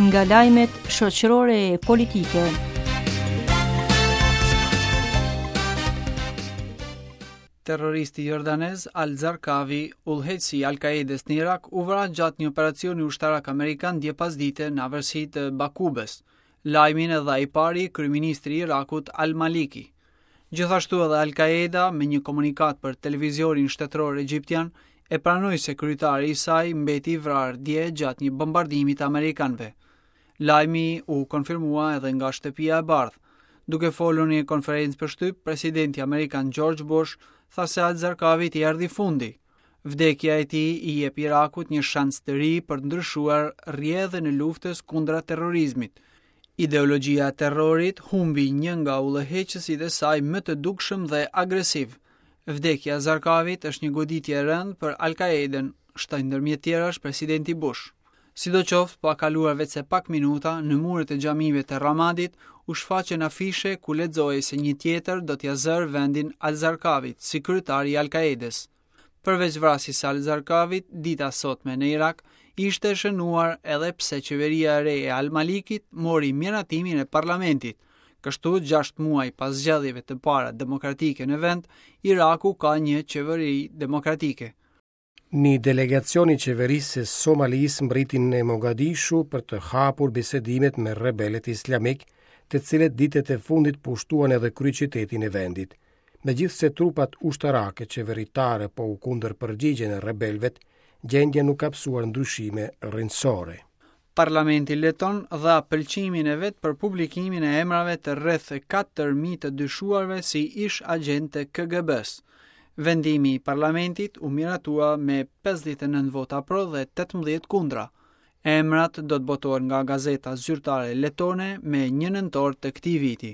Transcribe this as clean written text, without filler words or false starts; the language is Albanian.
Nga lajmet shoqërore e politike. Terroristi jordanez Al-Zarqawi, udhëheqësi i Al-Qaedës në Irak, u vra gjatë një operacioni ushtarak amerikan dje pasdite në afërsi të Bakubës. Lajmin e dha i pari kryeministri i Irakut Al-Maliki. Gjithashtu edhe Al-Qaeda me një komunikatë për televizionin shtetëror egjiptian e pranoi se kryetari i saj mbeti i vrarë dje gjatë një bombardimi të amerikanëve. Lajmi u konfirmua edhe nga Shtëpia e Bardhë. Duke folur në një konferencë për shtyp, presidenti amerikan George Bush tha se Al-Zarqawit i erdhi fundi. Vdekja e tij i jep Irakut një shans të ri për të ndryshuar rrjedhën e luftës kundra terrorizmit. Ideologjia e terrorit humbi një nga udhëheqësit e saj më të dukshëm dhe agresiv. Vdekja e Zarqawit është një goditje e rëndë për Al-Qaedën, shtoi ndërmjet tjerash presidenti Bush. Sidoqoftë, pa kaluar veçse pak minuta, në muret e xhamive të Ramadit u shfaqën afishe ku lexohej se një tjetër do t'ia zërë vendin Al-Zarqawit si kryetar i Al-Qaedës. Përveç vrasjes së Al-Zarqawit, dita e sotme në Irak ishte e shënuar edhe pse qeveria e re e Al-Malikit mori miratimin e parlamentit. Kështu, 6 muaj pas zgjedhjeve të para demokratike në vend, Iraku ka një qeveri demokratike. Një delegacion i qeverisë së Somalisë mbërriti në Mogadishu për të hapur bisedimet me rebelët islamikë, të cilët ditët e fundit pushtuan edhe kryeqytetin e vendit. Megjithëse trupat ushtarake qeveritare po u kundërpërgjigjen rebelëve, gjendja nuk ka pësuar ndryshime rrënjësore. Parlamenti leton dha pëlqimin e vet për publikimin e emrave të rreth 4.000 të dyshuarve si ish-agjentë të KGB-së. Vendimi i parlamentit u miratua me 59 vota pro dhe 18 kundra. Emrat do të botohen nga gazeta zyrtare letone me 1 nëntor të këtij viti.